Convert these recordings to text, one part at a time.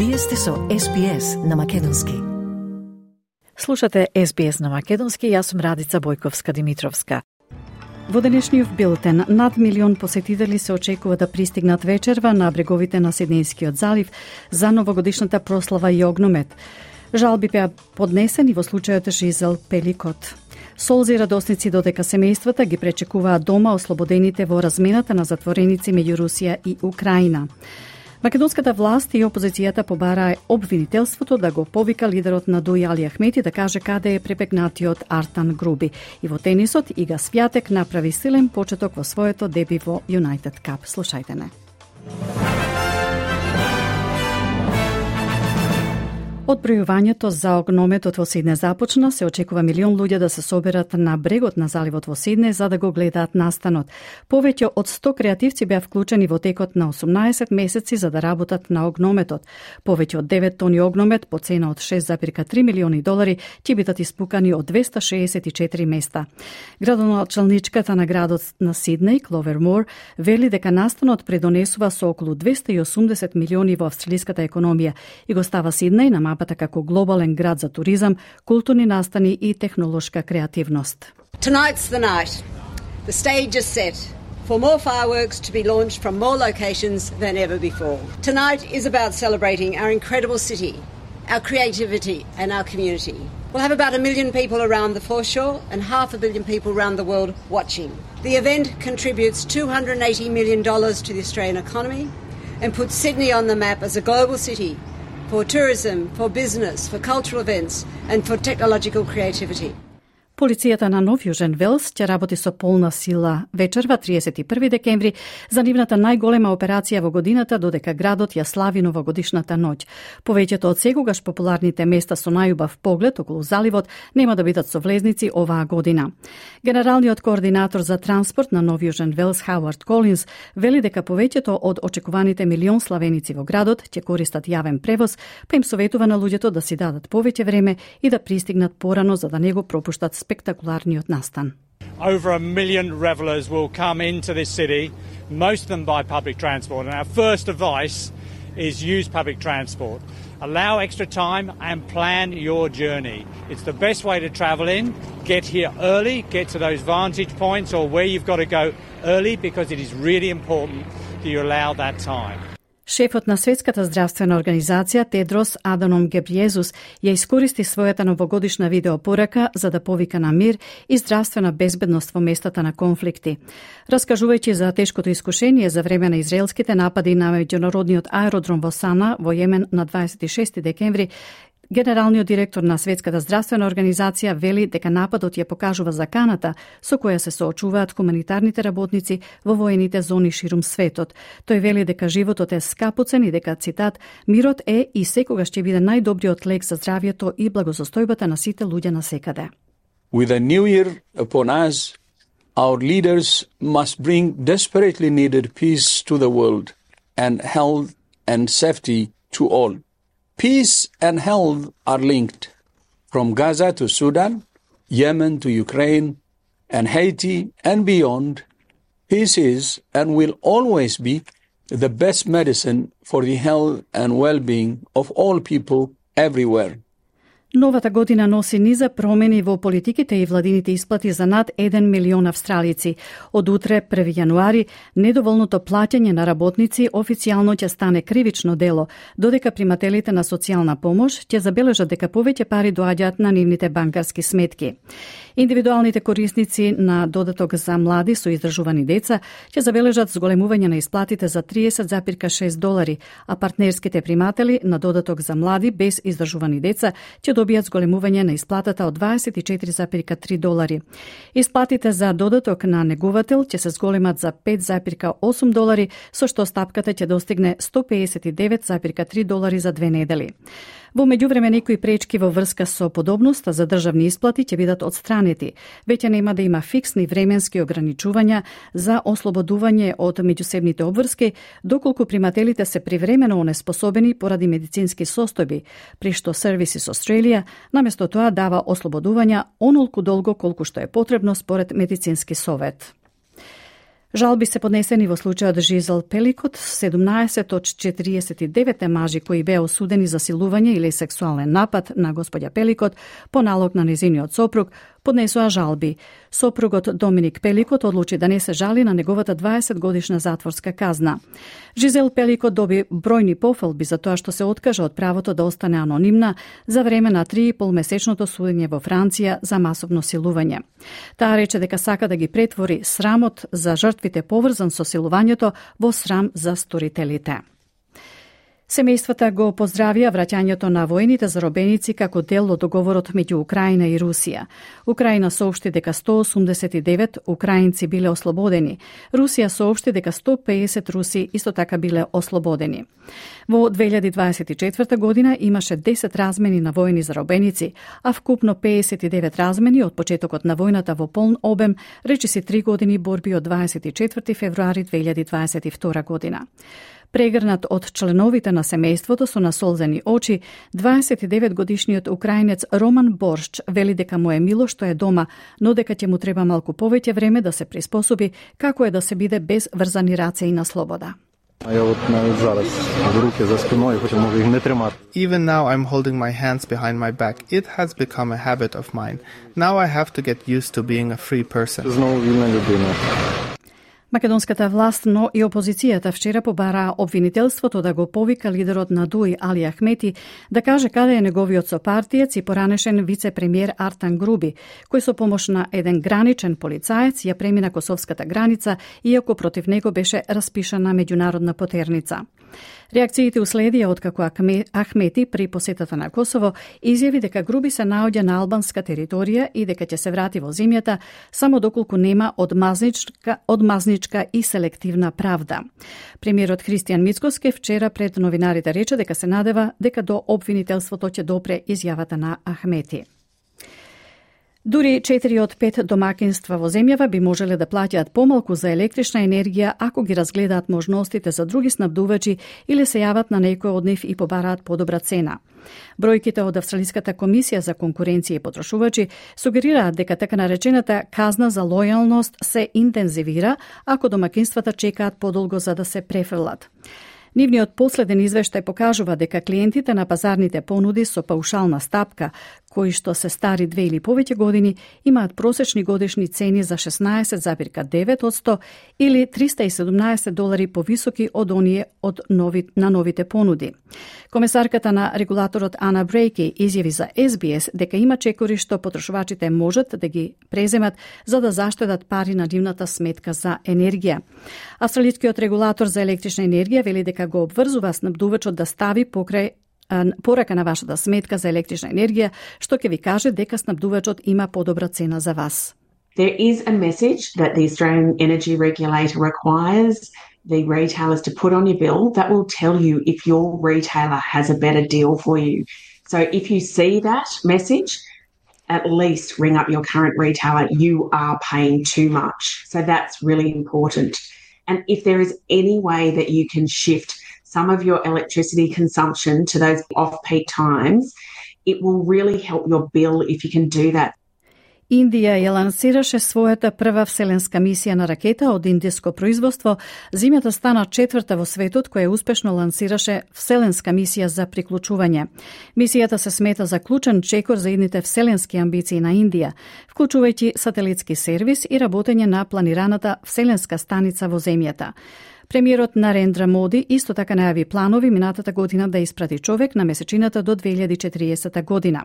Вие сте со SBS на Македонски. Слушате SBS на Македонски, јас сум Радица Бојковска-Димитровска. Во денешниот билтен, над 1 милион посетители се очекува да пристигнат вечерва на бреговите на Сиднејскиот залив за новогодишната прослава и огномет. Жалби беа поднесени во случајот Жизел Пеликот. Солзи радосници додека семејствата ги пречекуваат дома ослободените во размената на затвореници меѓу Русија и Украина. Македонската власт и опозицијата побараа обвинителството да го повика лидерот на ДУИ Али Ахмети да каже каде е препегнатиот Артан Груби. И во тенисот Ига Свјатек направи силен почеток во своето деби во United Cup. Слушајте не. Одбројувањето за огнометот во Сидне започна, се очекува милион луѓе да се соберат на брегот на заливот во Сидне за да го гледаат настанот. Повеќе од 100 креативци беа вклучени во текот на 18 месеци за да работат на огнометот. Повеќе од 9 тони огномет по цена од $6,3 милиони ќе бидат испукани од 264 места. Градоначалничката на градот на Сиднеј, Кловер Мор, вели дека настанот предонесува со околу 280 милиони во австралиската економија и го става Сиднеј на мапата како глобален град за туризам, културни настани и технолошка креативност. Tonight's the night. The stage is set for more fireworks to be launched from more locations than ever before. Tonight is about celebrating our incredible city, our creativity and our community. We'll have about 1 million people around the foreshore and 500 million people around the world watching. The event contributes $280 million to the Australian economy and puts Sydney on the map as a global city for tourism, for business, for cultural events and for technological creativity. Полицијата на Нов Јужен Велс ќе работи со полна сила вечерва 31 декември за нивната најголема операција во годината додека градот ја слави новогодишната ноќ. Повеќето од секогаш популарните места со најубав поглед околу заливот нема да бидат со влезници оваа година. Генералниот координатор за транспорт на Нов Јужен Велс Хауард Колинс вели дека повеќето од очекуваните милион славеници во градот ќе користат јавен превоз, па им советува на луѓето да си дадат повеќе време и да пристигнат порано за да не го пропуштат спектакуларниот настан. Over 1 million revelers will come into this city, most of them by public transport. And our first advice is use public transport. Allow extra time and plan your journey. It's the best way to travel in. Get here early, get to those vantage points or where you've got to go early because it is really important that you allow that time. Шефот на Светската здравствена организација Тедрос Аданом Гебриезус ја искористи својата новогодишна видеопорака за да повика на мир и здравствена безбедност во местата на конфликти. Раскажувајќи за тешкото искушение за време на израелските напади на меѓународниот аеродром во Сана во Јемен на 26 декември, генералниот директор на Светската здравствена организација вели дека нападот ја покажува заканата со која се соочуваат хуманитарните работници во воените зони ширум светот. Тој вели дека животот е скапоцен и дека, цитат, мирот е и секогаш ќе биде најдобриот лек за здравјето и благосостојбата на сите луѓе насекаде. With a new year upon us, our leaders must bring desperately needed peace to the world and health and safety to all. Peace and health are linked. From Gaza to Sudan, Yemen to Ukraine, and Haiti and beyond, peace is and will always be the best medicine for the health and well-being of all people everywhere. Новата година носи низа промени во политиките и владините исплати за над 1 милион австралици. Од утре, 1 јануари, недоволното плаќање на работници официјално ќе стане кривично дело, додека примателите на социјална помош ќе забележат дека повеќе пари доаѓаат на нивните банкарски сметки. Индивидуалните корисници на додаток за млади со издржувани деца ќе забележат зголемување на исплатите за $30,6, а партнерските приматели на додаток за млади без издржувани деца ќе добијат зголемување на исплатата од $24,3. Исплатите за додаток на негувател ќе се зголемат за $5,8, со што стапката ќе достигне $159,3 за 2 недели. Во меѓувреме некои пречки во врска со подобноста за државни исплати ќе бидат отстранети. Веќе нема да има фиксни временски ограничувања за ослободување од меѓусебните обврски, доколку примателите се привремено онеспособени поради медицински состојби, при што Services Australia наместо тоа дава ослободувања онолку долго колку што е потребно според медицински совет. Жалби се поднесени во случајот Жизел Пеликот, 17 од 49 мажи кои беа осудени за силување или сексуален напад на господја Пеликот по налог на незиниот сопруг, поднесоа жалби. Сопругот Доминик Пеликот одлучи да не се жали на неговата 20-годишна затворска казна. Жизел Пеликот доби бројни пофалби за тоа што се откажа од правото да остане анонимна за време на 3,5-месечното судење во Франција за масовно силување. Таа рече дека сака да ги претвори срамот за жртвите поврзан со силувањето во срам за сторителите. Семејствата го поздравија враќањето на воените заробеници како дел од договорот меѓу Украина и Русија. Украина соопшти дека 189 украинци биле ослободени. Русија соопшти дека 150 руси исто така биле ослободени. Во 2024 година имаше 10 размени на воени заробеници, а вкупно 59 размени од почетокот на војната во полн обем, речиси 3 години борби од 24 февруари 2022 година. Прегрнат од членовите на семејството со насолзени очи, 29-годишниот украинец Роман Боршч вели дека му е мило што е дома, но дека ќе му треба малку повеќе време да се приспособи како е да се биде без врзани раце и на слобода. Even now I'm holding my hands behind my back. It has become a habit of mine. Now I have to get used to being a free person. Македонската власт, но и опозицијата вчера побараа обвинителството да го повика лидерот на ДУИ Али Ахмети да каже каде е неговиот сопартиец и поранешен вице-премиер Артан Груби, кој со помош на еден граничен полицаец ја премина косовската граница, иако против него беше распишана меѓународна потерница. Реакциите уследија откако Ахмети при посетата на Косово изјави дека Груби се наоѓа на албанска територија и дека ќе се врати во земјата само доколку нема одмазничка и селективна правда. Премиерот Христијан Мицкоски вчера пред новинарите рече дека се надева дека до обвинителството ќе допре изјавата на Ахмети. Дури 4 од 5 домакинства во земјава би можеле да плаќаат помалку за електрична енергија ако ги разгледаат можностите за други снабдувачи или се јават на некој од нив и побараат подобра цена. Бројките од Австралиската комисија за конкуренција и потрошувачи сугерираат дека така наречената казна за лојалност се интензивира ако домакинствата чекаат подолго за да се префрлат. Нивниот последен извештај покажува дека клиентите на пазарните понуди со паушална стапка, кои што се стари 2 или повеќе години, имаат просечни годишни цени за 16,9% или $317 повисоки од оние на новите понуди. Комесарката на регулаторот Ана Брейки изјави за SBS дека има чекори што потрошувачите можат да ги преземат за да заштедат пари на нивната сметка за енергија. Австралискиот регулатор за електрична енергија вели дека го обврзува снабдувачот да стави покрај порака на вашата сметка за електрична енергија, што ќе ви каже дека снабдувачот има подобра цена за вас. There is a message that the Australian Energy Regulator requires the retailers to put on your bill that will tell you if your retailer has a better deal for you. So if you see that message, at least ring up your current retailer. You are paying too much. So that's really important. And if there is any way that you can shift some of your electricity consumption to those off-peak times, it will really help your bill if you can do that. Индија ја лансираше својата прва вселенска мисија на ракета од индиско производство. Земјата стана 4-та во светот која успешно лансираше вселенска мисија за приклучување. Мисијата се смета за клучен чекор за идните вселенски амбиции на Индија, вклучувајќи сателитски сервис и работење на планираната вселенска станица во земјата. Премиерот Нарендра Моди исто така најави планови минатата година да испрати човек на месечината до 2040 година.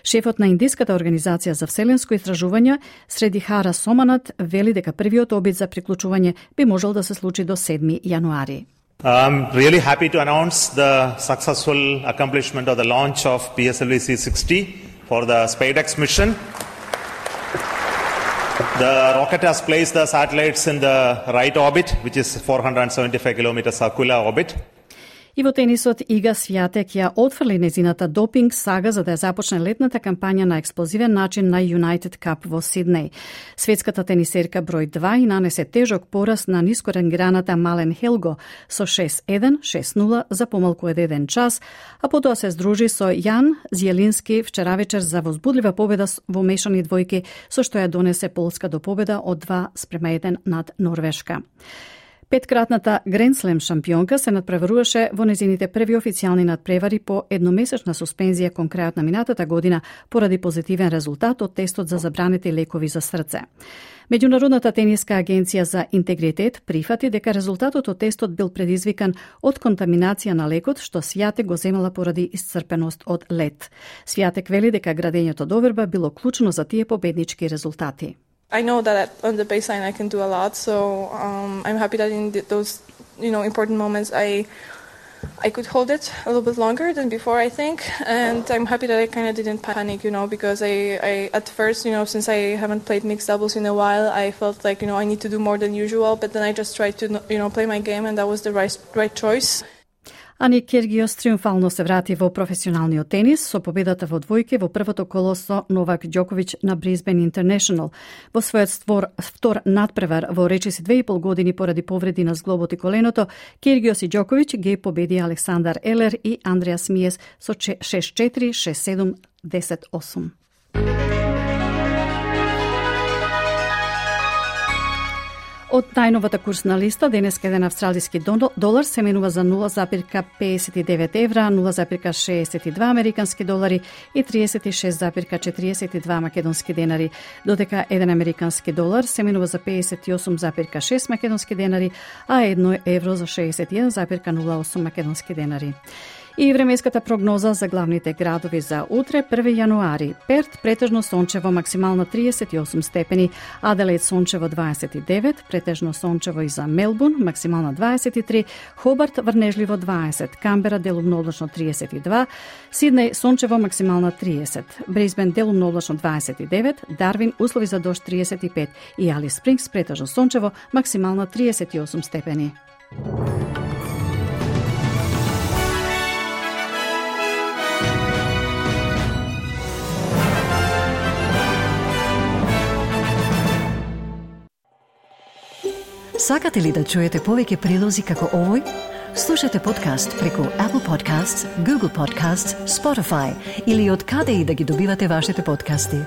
Шефот на Индиската организација за вселенско истражување Средихара Соманат вели дека првиот обид за приклучување би можел да се случи до 7 јануари. I'm really happy to announce the successful accomplishment of the launch of PSLV C60 for the SpaceX mission. The rocket has placed the satellites in the right orbit, which is 475 km circular orbit. И во тенисот Ига Свјатек ја отфрли незината допинг сага за да ја започне летната кампања на експлозивен начин на United Cup во Сиднеј. Светската тенисерка број 2 и нанесе тежок пораз на нискоренгираната Мален Хелго со 6-1, 6-0 за помалку од 1 час, а потоа се здружи со Јан Зјелински вчера вечер за возбудлива победа во мешани двојки, со што ја донесе Полска до победа од 2-1 над Норвешка. Петкратната Гранд Слем шампионка се надпреваруваше во незините први официјални надпревари по едномесечна суспензија кон крајот на минатата година поради позитивен резултат од тестот за забранети лекови за срце. Меѓународната тениска агенција за интегритет прифати дека резултатот од тестот бил предизвикан од контаминација на лекот што Свјатек го земала поради исцрпеност од лед. Свјатек вели дека градењето доверба било клучно за тие победнички резултати. I know that on the baseline I can do a lot, so I'm happy that in those, important moments I could hold it a little bit longer than before, I think, and I'm happy that I kind of didn't panic, because I at first, since I haven't played mixed doubles in a while, I felt like, I need to do more than usual, but then I just tried to, play my game, and that was the right choice. Ани Киргиос триумфално се врати во професионалниот тенис со победата во двојки во првото коло со Новак Ѓоковиќ на Brisbane International. Во својот втор надпревар во речиси 2,5 години поради повреди на зглобот и коленото, Киргиос и Ѓоковиќ ги победи Александар Елер и Андреас Миес со 6-4, 6-7, 10-8. Од најновата курсна листа, денеска еден австралиски долар се менува за 0,59 евра, 0,62 американски долари и 36,42 македонски денари, додека еден американски долар се менува за 58,6 македонски денари, а 1 евро за 61,08 македонски денари. И временската прогноза за главните градови за утре, 1 јануари. Перт претежно сончево, максимална 38 степени, Аделаид сончево 29, претежно сончево и за Мелбурн, максимална 23, Хобарт врнежливо 20, Камбера делумно облачно 32, Сиднеј сончево, максимална 30, Брисбен делумно облачно 29, Дарвин услови за дожд 35 и Алис Спрингс претежно сончево, максимална 38 степени. Сакате ли да чуете повеќе прилози како овој? Слушате подкаст преку Apple Podcasts, Google Podcasts, Spotify или од каде и да ги добивате вашите подкасти.